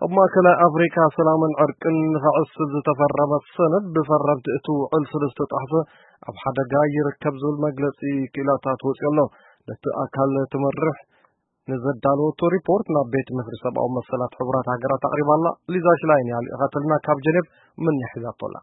ኣብ ማእከላይ ኣፍሪካ ሰላምን ዕርቅን ንኸዕስል ዝተፈረመ ሰነድ ብፈረምቲ እቲ ውዕል ስለ ዝተጣሕሰ ኣብ ሓደጋ ይርከብ ዝብል መግለጺ ክኢላታት ወጺኡ ኣሎ። ነቲ ኣካል ትመርሕ ንዘዳለወቶ ሪፖርት ናብ ቤት ምኽሪ ሰብኣዊ መሰላት ሕቡራት ሃገራት ኣቕሪባ ኣላ። ሊዛ ሽላይን እያ ልኢኻትልና ካብ ጀኔቭ። ምን ሒዛቶ ኣላ።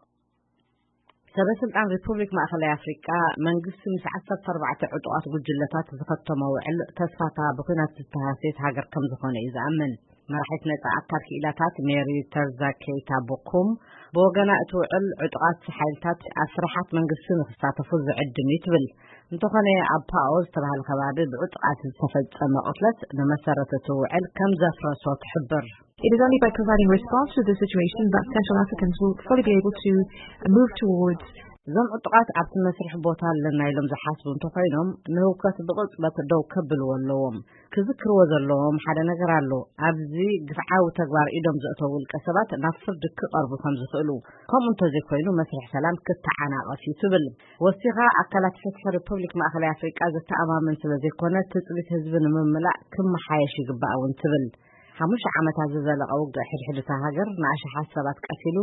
ሰበ ስልጣን ሪፑብሊክ ማእከላይ ኣፍሪቃ፣ መንግስቲ ምስ ዓሰርተ ኣርባዕተ ዕጡቓት ጉጅለታት ዝኸተሞ ውዕል ተስፋታ ብኲናት ዝተሃስየት ሃገር ከም ዝኾነ እዩ ዝኣምን። መራሒት ነጻ ኣካል ክኢላታት ሜሪ ተርዛ ኬይታ ቦኩም ብወገና እቲ ውዕል ዕጡቓት ሓይልታት ኣብ ስራሓት መንግስቲ ንክሳተፉ ዝዕድም እዩ ትብል። እንተኾነ ኣብ ፓኦ ዝተባህለ ከባቢ ብዕጡቓት ዝተፈጸመ ቅትለት ንመሰረት እቲ ውዕል ከም ዘፍረሶ ትሕብር። It is only by providing response to the situation that Central Africans will fully be able to move towards እዞም ዕጡቓት ኣብቲ መስርሕ ቦታ ኣለና ኢሎም ዝሓስቡ እንተኾይኖም፣ ንህውከት ብቕጽበት ደው ከብልዎ ኣለዎም። ክዝክርዎ ዘለዎም ሓደ ነገር ኣሎ። ኣብዚ ግፍዓዊ ተግባር ኢዶም ዘእተው ውልቀ ሰባት ናብ ፍርዲ ክቐርቡ ከም ዝኽእሉ፣ ከምኡ እንተዘይኮይኑ መስርሕ ሰላም ክተዓናቐፍ እዩ ትብል። ወሲኻ፣ ኣካላት ፍትሒ ሪፐብሊክ ማእከላይ ኣፍሪቃ ዘተኣማምን ስለ ዘይኮነ፣ ትጽቢት ህዝቢ ንምምላእ ክመሓየሽ ይግባእ እውን ትብል። ሓሙሽተ ዓመታት ዝዘለቐ ውግእ ሕድሕድ እታ ሃገር ንኣሽሓት ሰባት ቀቲሉ፣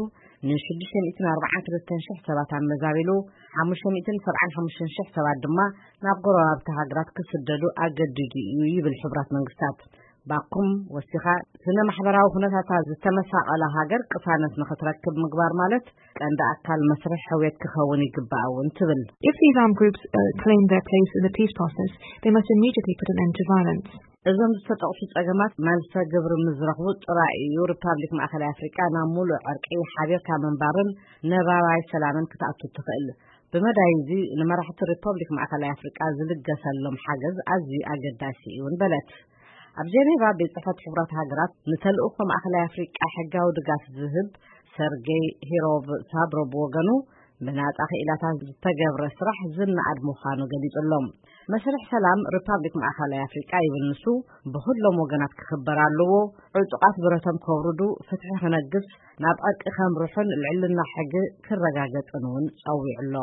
ን ሽዱሽተ ሚእትን ኣርባዓን ክልተን ሽሕ ሰባት ኣመዛቢሉ፣ ሓሙሽተ ሚእትን ሰብዓን ሓሙሽተን ሽሕ ሰባት ድማ ናብ ጎረባብቲ ሃገራት ክስደዱ ኣገዲዱ እዩ ይብል ሕቡራት መንግስታት። ባኩም ወሲኻ፣ ስነ ማሕበራዊ ኩነታታ ዝተመሳቐለ ሃገር ቅሳነት ንኽትረክብ ምግባር ማለት ቀንዲ ኣካል መስርሕ ሕውየት ክኸውን ይግባእ እውን ትብል። If these armed groups uh, claim their place in the peace process, they must immediately put an end to violence. እዞም ዝተጠቕሱ ጸገማት መልሰ ግብሪ ምስ ዝረኽቡ ጥራይ እዩ ሪፓብሊክ ማእከላይ ኣፍሪቃ ናብ ሙሉእ ዕርቂ፣ ሓቢርካ ምንባርን ነባራይ ሰላምን ክትኣቱ ትኽእል። ብመዳይ እዚ ንመራሕቲ ሪፐብሊክ ማእከላይ ኣፍሪቃ ዝልገሰሎም ሓገዝ ኣዝዩ ኣገዳሲ እዩ እውን በለት። ኣብ ጀኔቫ ቤት ጽሕፈት ሕቡራት ሃገራት ንተልእኾ ማእከላይ ኣፍሪቃ ሕጋዊ ድጋፍ ዝህብ ሰርጌይ ሂሮቭ ሳድሮ ብወገኑ፣ ብናጻ ክኢላታት ዝተገብረ ስራሕ ዝነኣድ ምዃኑ ገሊጹ ኣሎ። መስርሕ ሰላም ሪፓብሊክ ማእከላይ ኣፍሪቃ ይብል ንሱ፣ ብኹሎም ወገናት ክኽበር ኣለዎ። ዕጡቓት ብረቶም ከውርዱ፣ ፍትሒ ክነግስ፣ ናብ ዕርቂ ከምርሑን ልዕልና ሕጊ ክረጋገጽን እውን ጸዊዑ ኣሎ።